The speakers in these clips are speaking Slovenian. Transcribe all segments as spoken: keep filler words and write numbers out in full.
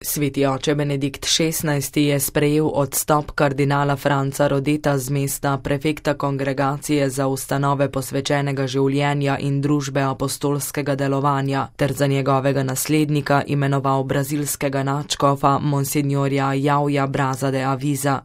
Sveti oče Benedikt šestnajsti je sprejel odstop kardinala Franca Rodeta z mesta prefekta Kongregacije za ustanove posvečenega življenja in družbe apostolskega delovanja ter za njegovega naslednika imenoval brazilskega nadškofa monsignorja Jauja Braza de Aviza.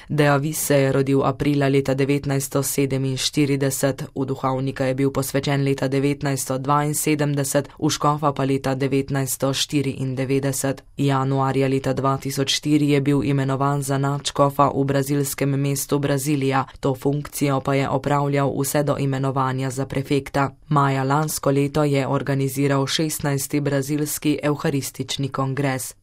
De Aviz se je rodil aprila leta devetnajststo sedeminštirideset, v duhovnika je bil posvečen leta devetnajststo dvainsedemdeset, v škofa pa leta devetnajststo štiriindevetdeset. Januarja leta dva tisoč štiri je bil imenovan za nadškofa v brazilskem mestu Brazilija, to funkcijo pa je opravljal vse do imenovanja za prefekta. Maja lansko leto je organiziral šestnajsti brazilski evharistični kongres.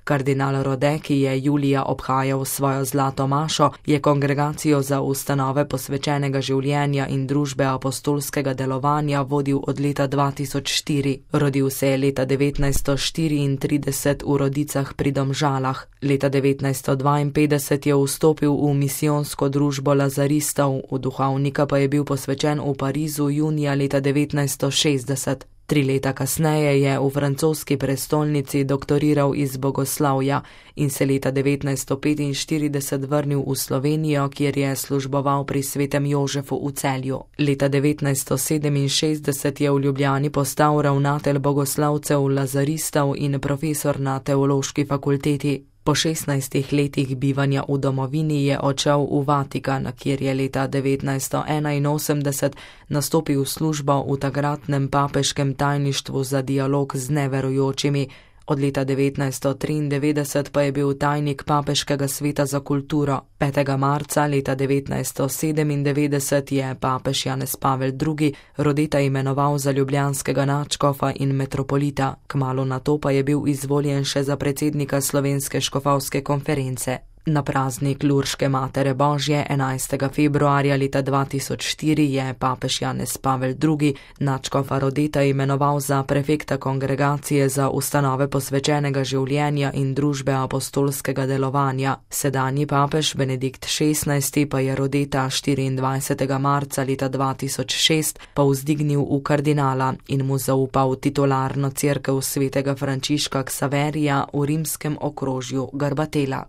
Kardinal Rode, ki je julija obhajal svojo zlato mašo, je Kongregacijo za ustanove posvečenega življenja in družbe apostolskega delovanja vodil od leta dva tisoč štiri. Rodil se je leta devetnajststo štiriintrideset v Rodicah pri Domžalah. Leta devetnajststo dvainpetdeset je vstopil v misijonsko družbo lazaristov, v duhovnika pa je bil posvečen v Parizu junija leta devetnajststo šestdeset. Tri leta kasneje je v francoski prestolnici doktoriral iz bogoslavja in se leta devetnajststo petinštirideset vrnil v Slovenijo, kjer je služboval pri svetem Jožefu v Celju. Leta devetnajststo sedeminšestdeset je v Ljubljani postal ravnatelj bogoslavcev lazaristov in profesor na teološki fakulteti. Po šestnajstih letih bivanja v domovini je odšel v Vatikan, kjer je leta devetnajststo enainosemdeset nastopil službo v takratnem papeškem tajništvu za dialog z neverujočimi. Od leta devetnajststo triindevetdeset pa je bil tajnik papeškega sveta za kulturo. petega marca leta devetnajststo sedemindevetdeset je papež Janez Pavel drugi Rodeta imenoval za ljubljanskega nadškofa in metropolita, kmalu nato pa je bil izvoljen še za predsednika Slovenske škofovske konference. Na praznik Lurške Matere Božje enajstega februarja leta dva tisoč štiri je papež Janez Pavel drugi nadškofa Rodeta imenoval za prefekta Kongregacije za ustanove posvečenega življenja in družbe apostolskega delovanja. Sedanji papež Benedikt šestnajsti pa je Rodeta štiriindvajsetega marca leta dva tisoč šest povzdignil v kardinala in mu zaupal titularno cerkev svetega Frančiška Ksaverija v rimskem okrožju Garbatella.